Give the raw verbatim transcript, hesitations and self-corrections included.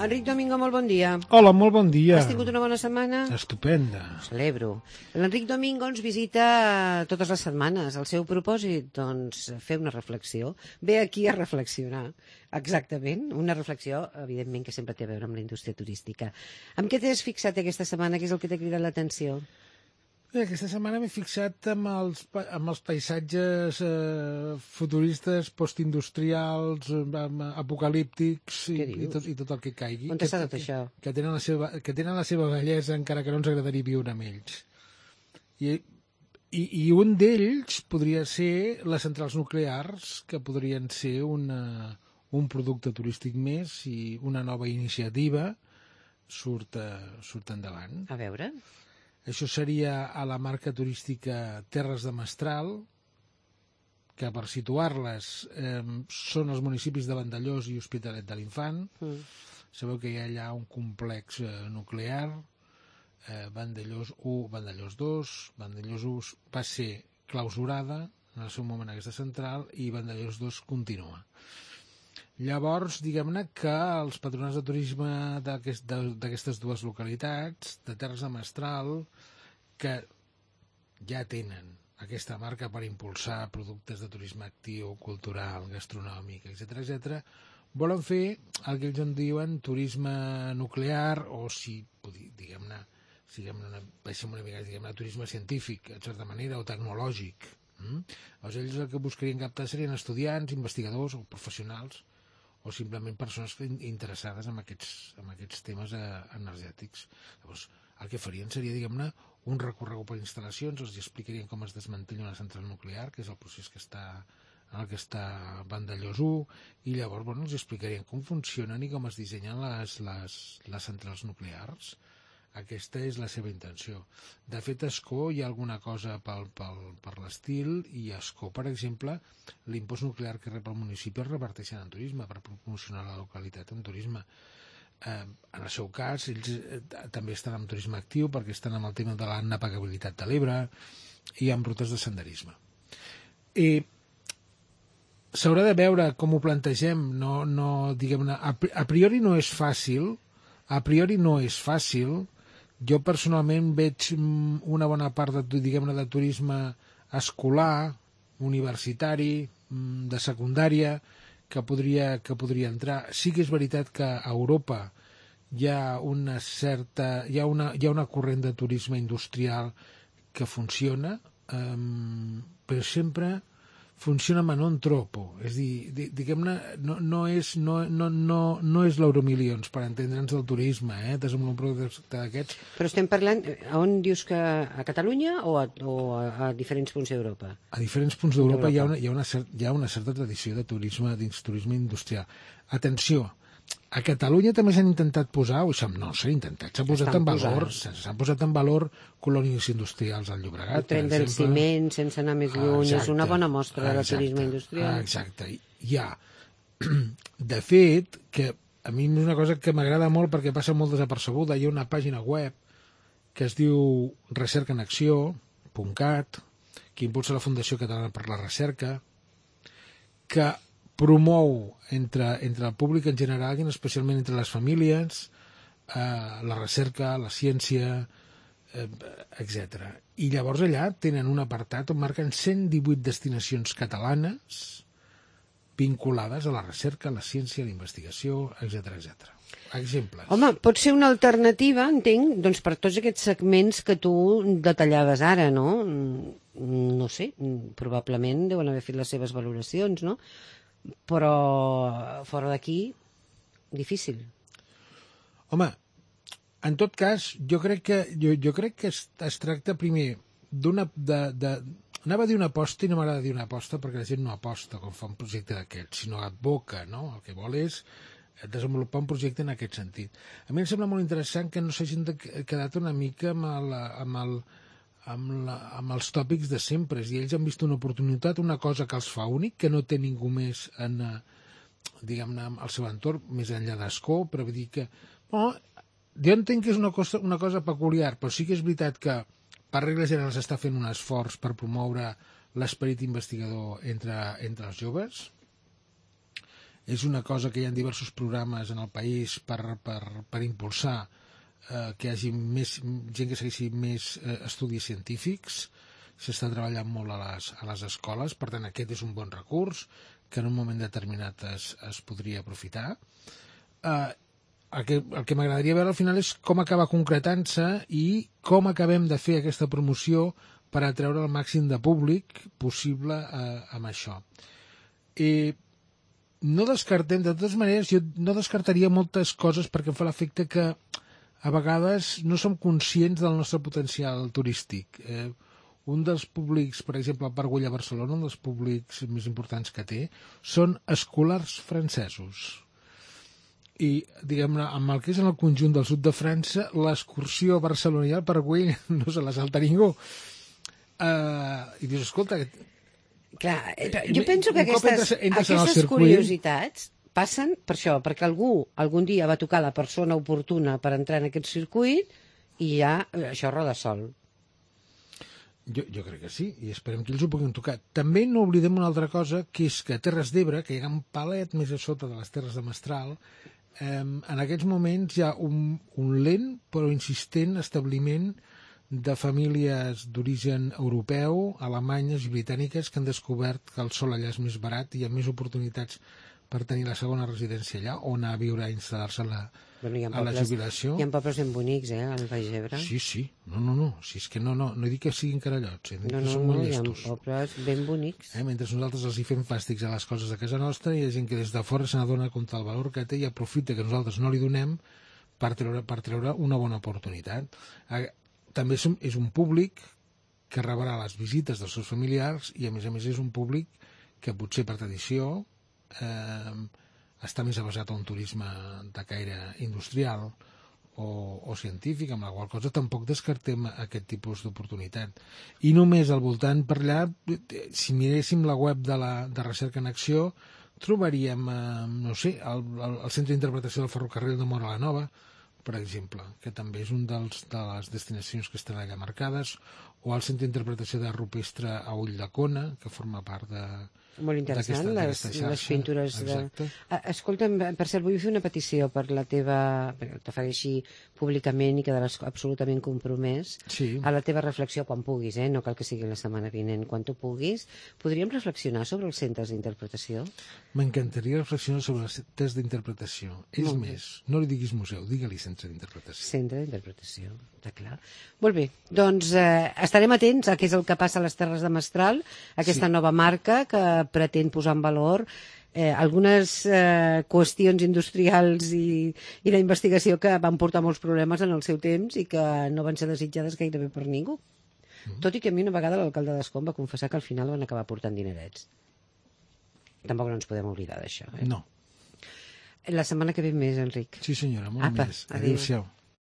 Enric Domingo, molt bon dia. Hola, molt bon dia. Has tingut una bona setmana? Estupenda. Ho celebro. L'Enric Domingo ens visita totes les setmanes. El seu propòsit, doncs, fer una reflexió. Ve aquí a reflexionar. Exactament. Una reflexió, evidentment, que sempre té a veure amb la indústria turística. Amb què t'has fixat aquesta setmana? Què és el que t'ha cridat l'atenció? Bé, aquesta setmana m'he fixat amb els, amb els paisatges eh, futuristes, postindustrials, eh, apocalíptics i, i, tot, i tot el que caigui. On està tot això? Que, que, tenen la seva, que tenen la seva bellesa, encara que no ens agradaria viure amb ells. I, i, i un d'ells podria ser les centrals nuclears, que podrien ser una, un producte turístic més i una nova iniciativa surt, uh, surt endavant. A veure... Això seria a la marca turística Terres de Mestral, que per situar-les eh, són els municipis de Vandellòs i Hospitalet de l'Infant. Mm. Sabeu que hi ha allà un complex eh, nuclear, eh, Vandellòs u, Vandellòs dos, Vandellòs u va ser clausurada en el seu moment aquesta central i Vandellòs dos continua. Llavors, diguem-ne que els patronats de turisme d'aquestes dues localitats, de Terres de Mestral, que ja tenen aquesta marca per impulsar productes de turisme actiu, cultural, gastronòmic, etcètera, etcètera, volen fer el que ells en diuen turisme nuclear o, si diguem-ne, diguem-ne, deixem una mica, diguem-ne, turisme científic, en certa manera, o tecnològic. Mm? Llavors, ells el que buscarien captar serien estudiants, investigadors o professionals o simplement persones interessades en aquests, en aquests temes eh, energètics. Llavors, el que farien seria, diguem-ne, un recorregut per instal·lacions, els explicarien com es desmantella una central nuclear, que és el procés que està en el que està Vandellòs u, i llavors bueno, els explicarien com funcionen i com es dissenyen les, les, les centrals nuclears. Aquesta és la seva intenció. De fet, a Ascó hi ha alguna cosa pel, pel, per l'estil, i a Ascó, per exemple, l'impost nuclear que rep el municipi es reparteixen en turisme per promocionar la localitat en turisme. Eh, en el seu cas, ells eh, també estan en turisme actiu perquè estan amb el tema de la navegabilitat de l'Ebre i amb rutes de senderisme. I s'haurà de veure com ho plantegem. No, no, diguem-ne, a, a priori no és fàcil, a priori no és fàcil. Jo personalment veig una bona part de, diguem-ne, de turisme escolar, universitari, de secundària, que podria, que podria entrar. Sí que és veritat que a Europa hi ha una certa, hi ha una, hi ha una corrent de turisme industrial que funciona, eh, però sempre funciona ma non troppo, és a dir, diguem-ne, no, no és, no, no, no, no és l'Euromilions, per entendre'ns del turisme, eh, desenvolupar un producte d'aquests. Però estem parlant, on dius que a Catalunya o a, o a, a diferents punts d'Europa? A diferents punts d'Europa hi ha, una, hi, ha una cer hi ha una certa tradició de turisme, de turisme industrial. Atenció, a Catalunya també s'han intentat posar, o no s'ha intentat, s'ha posat en valor, s'han posat en valor colònies industrials al Llobregat. El tren del ciment, sense anar més lluny, exacte, és una bona mostra de turisme industrial. Exacte, hi ha. De fet, que a mi és una cosa que m'agrada molt perquè passa molt desapercebuda, hi ha una pàgina web que es diu recerca en acció punt cat, que impulsa la Fundació Catalana per la Recerca, que promou entre, entre el públic en general i especialment entre les famílies eh, la recerca, la ciència, eh, etcètera. I llavors allà tenen un apartat on marquen cent divuit destinacions catalanes vinculades a la recerca, a la ciència, a la investigació, etcètera, etcètera. Exemples. Home, pot ser una alternativa, entenc, doncs per tots aquests segments que tu detallaves ara, no? No sé, probablement deuen haver fet les seves valoracions, no? Però fora d'aquí, difícil. Home, en tot cas, jo crec que, jo, jo crec que es, es tracta primer d'una... De, de, anava a dir una aposta i no m'agrada dir una aposta perquè la gent no aposta quan fa un projecte d'aquests, sinó advoca, no? El que vol és desenvolupar un projecte en aquest sentit. A mi em sembla molt interessant que no s'hagin quedat una mica amb, el, amb, el, amb, la, amb els tòpics de sempre. I ells han vist una oportunitat, una cosa que els fa únic, que no té ningú més en, diguem-ne, al seu entorn, més enllà d'Ascó, però vull dir que... Bueno, jo entenc que és una cosa, una cosa peculiar, però sí que és veritat que per regla general s'està fent un esforç per promoure l'esperit investigador entre, entre els joves. és una cosa que hi ha diversos programes en el país per, per, per impulsar eh, que hi hagi més, gent que segueixi més eh, estudis científics. S'està treballant molt a les, a les escoles, per tant aquest és un bon recurs que en un moment determinat es, es podria aprofitar. Eh, el que, el que m'agradaria veure al final és com acaba concretant-se i com acabem de fer aquesta promoció per atreure el màxim de públic possible eh, amb això. I no descartem, de totes maneres, jo no descartaria moltes coses perquè em fa l'efecte que a vegades no som conscients del nostre potencial turístic. Eh, un dels públics, per exemple, el Parc Güell a Barcelona, un dels públics més importants que té, són escolars francesos. I, diguem-ne, amb el que és en el conjunt del sud de França, l'excursió a Barcelona i al Parc Güell no se la salta ningú. Uh, I dius, escolta... Clar, jo penso que aquestes, entres, entres aquestes curiositats passen per això, perquè algú algun dia va tocar la persona oportuna per entrar en aquest circuit i ja això roda sol. Jo, jo crec que sí, i esperem que ells ho puguin tocar. També no oblidem una altra cosa, que és que a Terres d'Ebre, que hi ha un palet més a sota de les Terres de Mestral, eh, en aquests moments hi ha un, un lent però insistent establiment de famílies d'origen europeu, alemanyes i britàniques que han descobert que el sol allà és més barat i hi ha més oportunitats per tenir la segona residència allà o anar a viure a instal·lar-se a la, bueno, a la jubilació. Hi ha pobles ben bonics, eh, al Baix Ebre. Sí, sí. No, no, no. Si és que no, no, no he dit que siguin carallots, eh? No, no, són no, molt hi ha llestos. pobles ben bonics. Eh? Mentre nosaltres els hi fem fàstics a les coses de casa nostra, hi ha gent que des de fora se n'adona compte del valor que té i aprofita que nosaltres no li donem per treure, per treure una bona oportunitat. També és un públic que rebrà les visites dels seus familiars i, a més a més, és un públic que potser per tradició eh, està més avasat a un turisme de caire industrial o, o científic, amb la qual cosa tampoc descartem aquest tipus d'oportunitat. I només al voltant per allà, si miréssim la web de, la, de Recerca en Acció, trobaríem, eh, no sé, el, el, el Centre d'Interpretació del Ferrocarril de Móra la Nova, per exemple, que també és un dels, de les destinacions que estan allà marcades, o el Centre d'Interpretació de Rupestre a Ulldecona, que forma part de... Molt interessant, les, les pintures de... Escolta'm, per cert, vull fer una petició per la teva... perquè t'ofereixi públicament i quedaràs absolutament compromès sí. a la teva reflexió quan puguis, eh? No cal que sigui la setmana vinent, quan tu puguis. Podríem reflexionar sobre els centres d'interpretació? M'encantaria reflexionar sobre els centres d'interpretació. És Molt més, bé. No li diguis museu, digue-li centre d'interpretació. Centre d'interpretació, està clar. Molt bé, doncs eh, estarem atents a què és el que passa a les Terres de Mestral, aquesta sí. nova marca que pretén posar en valor eh, algunes eh, qüestions industrials i, i d'investigació que van portar molts problemes en el seu temps i que no van ser desitjades gairebé per ningú. Mm. Tot i que a mi una vegada l'alcalde d'Ascó va confessar que al final van acabar portant dinerets. Tampoc no ens podem oblidar d'això. Eh? No. La setmana que ve més, Enric. Sí, senyora, molt Apa, més. Adéu-siau.